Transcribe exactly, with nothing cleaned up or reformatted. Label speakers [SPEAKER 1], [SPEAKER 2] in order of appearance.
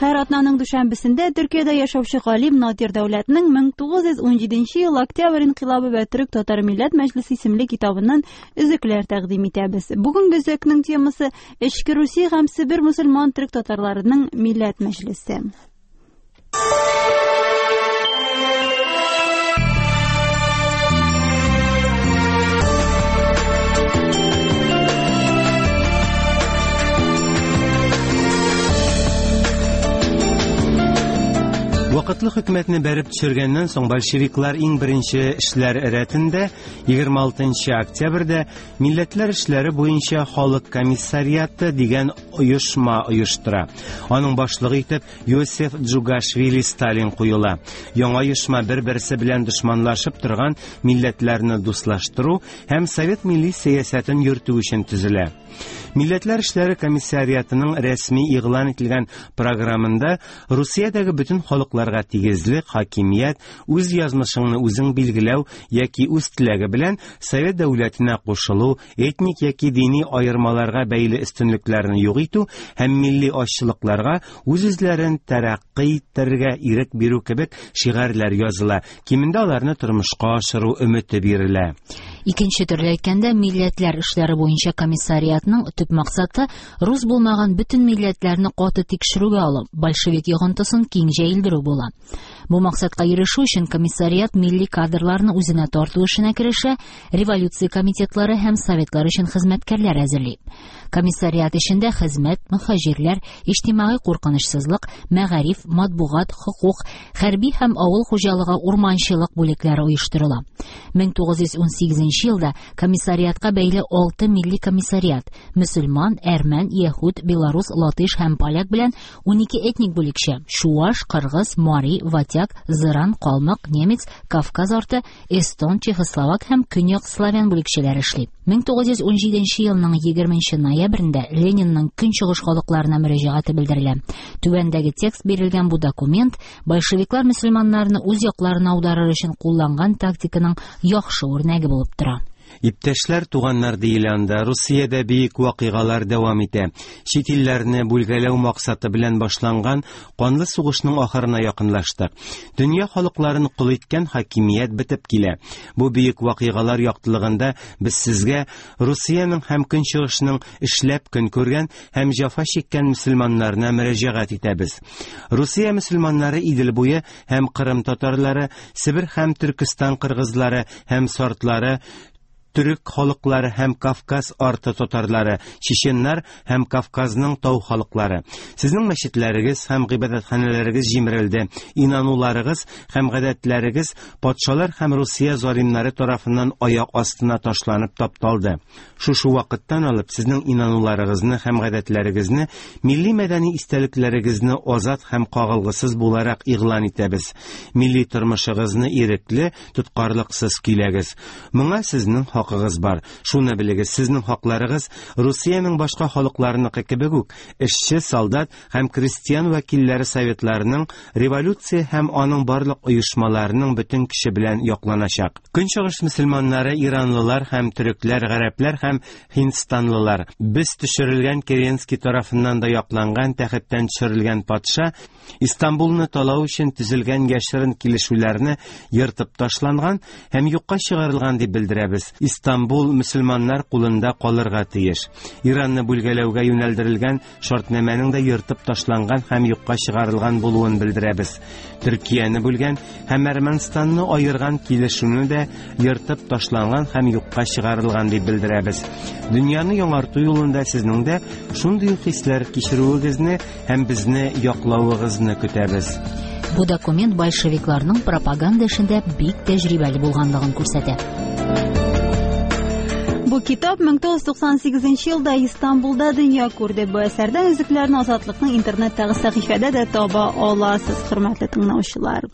[SPEAKER 1] Һәр атнаның дүшәмбесендә Төркиядә яшәүче галим Надир Дәүләтнең мең тугыз йөз унҗиденче ел Октябрь инкыйлабы вә Төрек татар милләт мәҗлесе исемле китабыннан өзекләр тәкъдим итәбез. Бүгенге өзекнең темасы Эчке Русия һәм Себер мөселман төрек татарларының милләт мәҗлесе.
[SPEAKER 2] Вакытлы хөкүмәтне бәреп төшергәннән соң большевиклар иң беренче эшләр рәтендә егерме алтынчы октябрьдә Милләтләр эшләре буенча халык комиссариаты дигән оешма оештыра. Аның башлыгы итеп Йосиф Джугашвили Сталин куела. Яңа оешма бер-берсе белән дошманлашып торган милләтләрне дуслаштыру һәм совет милли сәясәтен йөртү өчен төзелә. Милләтләр эшләре комиссариатының рәсми игълан ителгән програмында Русиядәге бөтен халыкларга тигезлек, хакимият, үз язмышыңны үзең билгеләү яки үз теләге белән совет дәүләтенә кушылу, этник яки дини аермаларга бәйле өстенлекләрне юк итү һәм милли азчылыкларга үз-үзләрен тәрәккый иттерергә ирек бирү кебек шигарьләр языла. Кимендә аларны тормышка ашыру өмете бирелә.
[SPEAKER 3] Икенче төрле әйткәндә, милләтләр эшләре буенча комиссариатның төп максаты рус булмаган бөтен милләтләрне каты тикшерүгә алып, большевик йогынтысын киң җәелдерү була. Бу максатка ирешү өчен комиссариат милли кадрларны үзенә тарту эшенә керешә, революция комитетлары һәм советлар өчен хезмәткәрләр әзерли. Комиссариат эшендә хезмәт, мөхаҗирләр, иҗтимагый куркынычсызлык, мәгариф, матбугат, хокук, хәрби һәм авыл хуҗалыгы, урманчылык бүлекләре оештырыла. мең тугыз йөз унсигезенче елда комиссариатка бәйле алты милли комиссариат мөселман, әрмән, яһүд, белорус, латыш һәм поляк белән унике этник бүлекчә чуаш, кыргыз, мари, ватяк, зыран, калмык, немец, Кавказ арты, эстон, чехословак һәм көньяк славян бүлекчәләре эшли. мең тугыз йөз унҗиденче елның егерменче ноябрендә Ленинның көнчыгыш халыкларына мөрәҗәгате белдерелә. Түбәндәге текст бирелгән бу документ большевиклар мөселманнарны үз якларына аударыр өчен кулланган тактиканың яхшы үрнәге булып тора.
[SPEAKER 2] Иптәшләр, туганнар диелә анда, Русиядә бөек вакыйгалар дәвам итә. Чит илләрне бүлгәләү максаты белән башланган канлы сугышның ахырына якынлаштык. Дөнья халыкларын кол иткән хакимият бетеп килә. Бу бөек вакыйгалар яктылыгында без сезгә Русиянең һәм Көнчыгышның эшләп көн күргән һәм җәфа чиккән мөселманнарына мөрәҗәгать итәбез. Русия мөселманнары Идел буе һәм Кырым татарлары, Себер һәм Төркестан кыргызлары һәм сартлары, төрек халыклары һәм Кавказ арты татарлары, чеченнар һәм Кавказның тау халыклары. Сезнең мәчетләрегез һәм гыйбадәтханәләрегез җимерелде. Инануларыгыз һәм гадәтләрегез патшалар һәм Русия залимнары тарафыннан аяк астына ташланып тапталды. Шушы вакыттан алып сезнең инануларыгызны һәм гадәтләрегезне, милли мәдәни истәлекләрегезне азат һәм кагылгысыз буларак игълан итәбез. Милли тормышыгызны ирекле, тоткарлыксыз көйләгез. Моңа сезнең хакыгыз бар. Шуны белегез, сезнең хакларыгыз Русиянең башка халыкларыныкы кебек үк эшче, солдат һәм крестьян вәкилләре советларының революция һәм аның барлык оешмаларының бөтен кеше белән якланачак. Көнчыгыш мөселманнары, иранлылар һәм төрекләр, гарәпләр һәм һиндстанлылар. Без төшерелгән Керенский тарафыннан да якланган тәхеттән төшерелгән патша Истанбулны талау өчен төзелгән яшерен килешүләрне ертып ташланган һәм юкка чыгарылган дип белдерәбез. Истанбул мөселманнар кулында калырга тиеш. Иранны бүлгәләүгә юнәлдерелгән шартнамәнең дә ертып ташланган һәм юкка чыгарылган булуын белдерәбез. Төркияне бүлгән һәм Әрмәнстанны аерган килешүне дә ертып ташланган һәм юкка чыгарылган дип белдерәбез. Дөньяны яңарту юлында сезнең дә шундый ук хисләр кичерүегезне һәм безне яклавыгызны көтәбез.
[SPEAKER 3] Бу документ большевикларның пропаганда эшендә бик тәҗрибәле булганлыгын күрсәтә.
[SPEAKER 1] Бу китап мең тугыз йөз туксан сигезенче елда Истанбулда дөнья күрде. Бу әсәрдән өзекләрне Азатлыкның интернеттагы сәхифәдә дә таба аласыз, хөрмәтле тыңлаучылар.